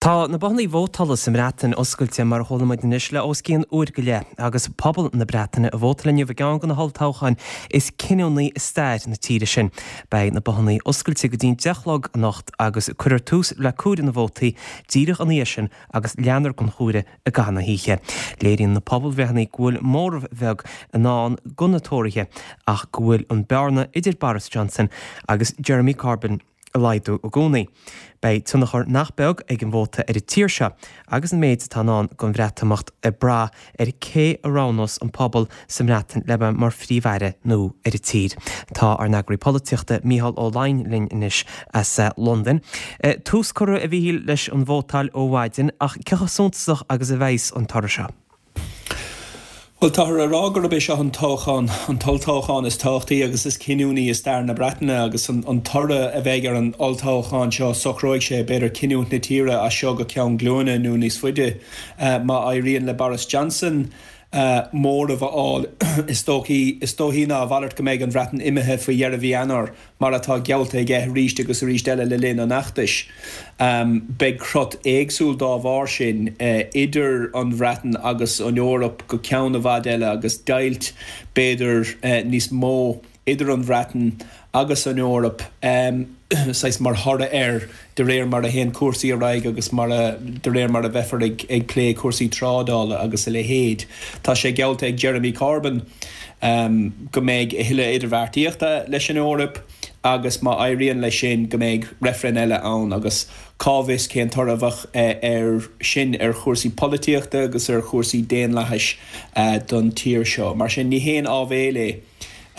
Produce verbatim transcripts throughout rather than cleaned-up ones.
Tá na bothanna vótála sa mBreatain oscailte mar a chuala muid anois le os cionn uair go leith agus pobal na Breataine ag vótáil inniu i gceann de na holltoghcháin is cinniúnaí i stair na tíre sin. Beidh na bothanna oscailte go dtí an deich a chlog anocht agus cuirfear tús le comhaireamh na vótaí díreach ina dhiaidh sin agus leanfar den chomhaireamh i gcaitheamh na hoíche. Léiríonn na pobalbhreitheanna go bhfuil móramh beag i ndán do na Tóraithe ach go bhfuil an bearna idir Boris Johnson agus Jeremy Corbyn ag laghdú i gcónaí. Beidh tionchar nach beag ag an vóta ar an tír seo agus an méid atá i ndán don Bhreatimeacht ag brath ar cé a roghnós an pobal sa mBreatain le bheith mar phríomh-aire nua ar an tír. Tá ár n-eagraí polaitíochta Mícheál Ó Laighin linn anois as Londain. Tús curtha a Mhíchíl leis an vótáil ó mhaidin ach cé chomh suntasach agus a bheas an toradh seo? Bhuel, táthar a rá gurb é seo an toghchán, an t-olltoghchán is tábhachtaí agus is cinniúnaí i stair na Breataine agus an an toradh a bheidh ar an olltoghchán seo, socróidh sé b'fhéidir cinniúint na tíre as seo go ceann glúine nó níos faide. Má éiríonn le Boris Johnson móramh a fháil, is dóichí is dóichí ná a mhalairt go mbeidh an Bhreatain imithe faoi dheireadh mhí Eanáir, mar atá geallta aige arís agus arís eile le linn an fheachtais. Beidh crot éagsúil dá bharr sin idir an Bhreatain agus an Eoraip go ceann i bhfad eile agus deighilt, b'fhéidir, níos mó idir an Bhreatain agus an Eoraip saghas mar thoradh air de réir mar a théann cúrsaí ar aghaidh agus mar a de réir mar a bheifear ag ag plé cúrsaí trádála agus a leithéid. Tá sé geallta ag Jeremy Corbyn go mbeidh a thuilleadh idirbheartaíochta leis an Eoraip agus má éiríonn leis sin go mbeidh reifreann eile ann agus cá bhfios cén toradh a bheadh air sin ar chúrsaí polaitíochta agus ar chúrsaí daonlathais don tír seo. Mar sin ní haon áibhéil é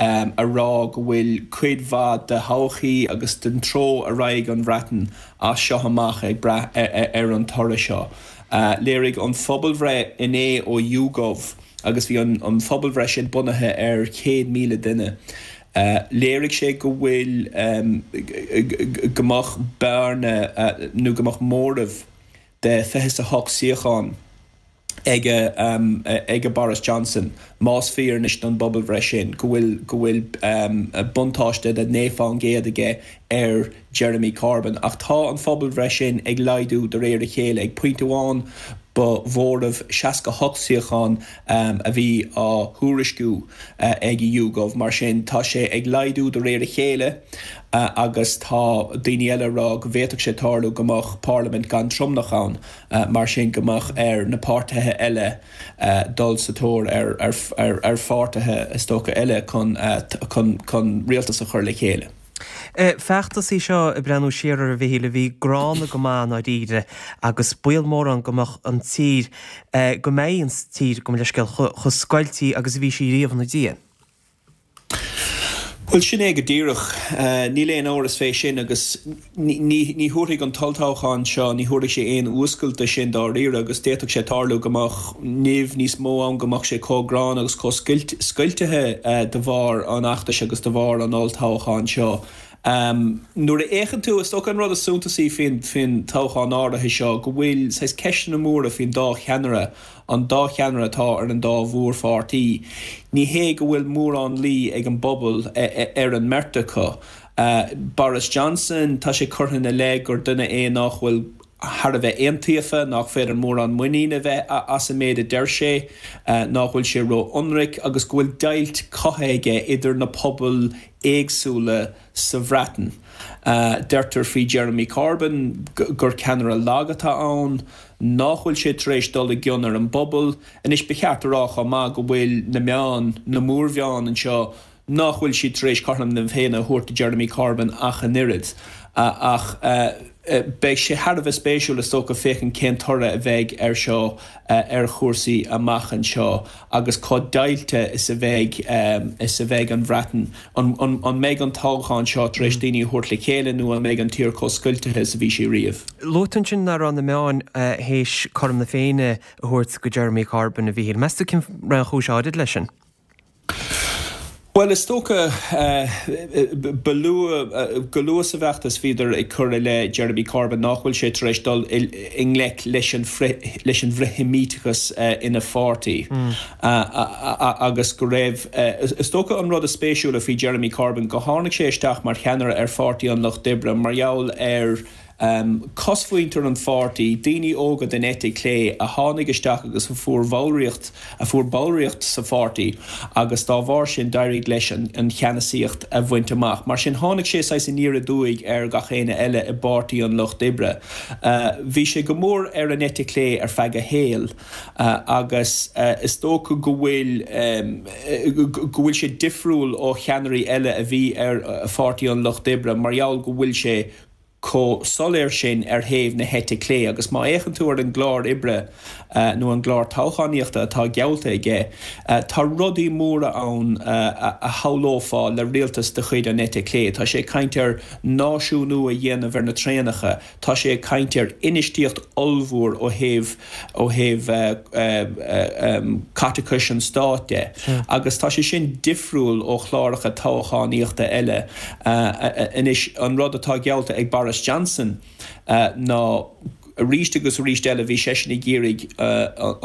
a rá go bhfuil cuid mhaith de thodhchaí agus den treo a raghaidh an Bhreatain as seo amach ag brath ar an toradh seo. Léirigh an phobalbhreith inné ó YouGov, agus bhí an phobalbhreith sin bunaithe ar chéad míle duine, léirigh sé go bhfuil, go mbeadh bearna nó go mbeadh móramh de fiche is a hocht suíochán ag ag Boris Johnson, más fíor anois don bpobalbhreith sin go bhfuil go bhfuil buntáiste de naoi fán gcéad aige ar Jeremy Corbyn. Ach tá an phobalbhreith sin ag laghdú de réir a chéile. Ag pointe amháin ba mhóramh seasca a hocht suíochán a bhí á thuairisciú ag YouGov. Mar sin tá sé ag laghdú de réir a chéile agus tá daoine eile ag rá go bhféadfadh sé tarlú go mbeadh parlaimint gan tromlach ann, mar sin go mbeadh ar na páirtithe eile dul sa tóir ar pháirtithe, is dócha, eile chun rialtas a chur le chéile. Feachtas é seo, ag breathnú siar air a Mhichíl, a bhí gránna go maith i ndáiríre agus baol mór ann go mbeadh an tír, go mbeidh an tír, gabh mo leithscéal, chomh scoiltí agus a bhí sí riamh ina diaidh. Bhuel, sin é go díreach. Níl aon amhras fé sin agus ní thabharfaidh an t-olltoghchán seo, ní thabharfaidh sé aon fhuascailt de sin dáiríre agus d'fhéadfadh sé tarlú go mbeadh nimh níos mó ann, go mbeadh sé chomh gránna agus chomh scoiltithe de bharr an fheachtais agus de bharr an olltoghcháin seo. Nuair a fhéachann tú, is dócha an rud is suntasaí faoin toghchán áirithe seo go bhfuil saghas ceisteanna móra faoin dá cheannaire, an dá cheannaire atá ar an dá mhórpháirtí. Ní hé go bhfuil mórán luí ag an bpobal ar an mbeirt acu. Boris Johnson, tá sé curtha ina leith gur duine é nach bhfuil thar a bheith iontaofa, nach féidir mórán muinín a bheith as an méid a deir sé, nach bhfuil sé ró-ionraic agus go bhfuil deighilt cothaithe aige idir na pobail éagsúla sa Bhreatain. Deirtear faoi Jeremy Corbyn gur ceannaire lag atá ann, nach bhfuil sé tar éis dul i gcion ar an bpobal. Anois, ba cheart a rá chomh maith go bhfuil na meáin, na mórmheáin anseo, nach bhfuil siad tar éis cothrom na Féinne a thabhairt do Jeremy Corbyn ach an oiread. Ach beidh sé thar a bheith spéisiúil, is dócha, féachaint cén toradh a bheidh air seo ar chúrsaí amach anseo agus chomh deighilte is a bheidh is a bheidh an Bhreatain. An mbeidh an toghchán seo tar éis daoine a thabhairt le chéile nó an mbeidh an tír chomh scoiltithe is a bhí sí riamh? Luaigh tú ansin nach raibh na meáin théis cothrom na Féinne a thabhairt do Jeremy Corbyn, a Mhíchíl. Meas tú cén raibh an chúis áirid leis sin? Bhuel, is dócha, ba luath, go luath sa bhfeachtas bhíodar ag cur i leith Jeremy Corbyn nach bhfuil sé tar éis dul i ngleic leis an leis an bhfrith-Sheimíteachas ina pháirtí agus go raibh, is dócha an rud is spéisiúla faoi Jeremy Corbyn go tháinig sé isteach mar cheannaire ar Pháirtí an Lucht Oibre mar gheall ar Cosmhuintir an pháirtí, daoine óga den eite chlé a tháinig isteach agus a fuair bhallraíocht a fuair ballraíocht sa pháirtí agus dá bharr sin d'éirigh leis an cheannasaíocht a bhaint amach. Mar sin tháinig sé saghas aniar aduaidh ar gach éinne eile i bPáirtí an Lucht Oibre. Bhí sé go mór ar an eite chlé ar feadh a shaoil agus is dócha go bhfuil go bhfuil sé difriúil ó cheannairí eile a bhí ar Pháirtí an Lucht Oibre mar gheall go bhfuil sé chomh soiléir sin ar thaobh na heite clé agus má fhéachann tú ar an gclár oibre nó an gclár toghchánaíochta atá geallta aige, tá rudaí móra ann a shamhlófá le rialtas de chuid an eite chlé. Tá sé ag caint ar náisiúnú a dhéanamh ar na traenacha, tá sé ag caint ar infheistíocht ollmhór ó thaobh ó thaobh caiteachais an stáit de agus tá sé sin difriúil ó chláracha toghchánaíochta eile. Anois, an rud atá geallta ag Boris Johnson ná arís agus arís eile bhí seisean ag iarraidh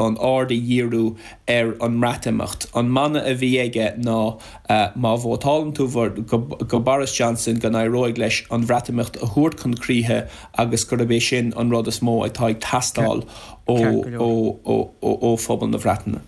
an aird a dhíriú ar an mBreatimeacht. An mana a bhí aige ná má vótálann tú do Boris Johnson go n-éireoidh leis an Bhreatimeacht a thabhairt chun críche agus gurb é sin an rud is mó atá ag teastáil ó phobal na Breataine.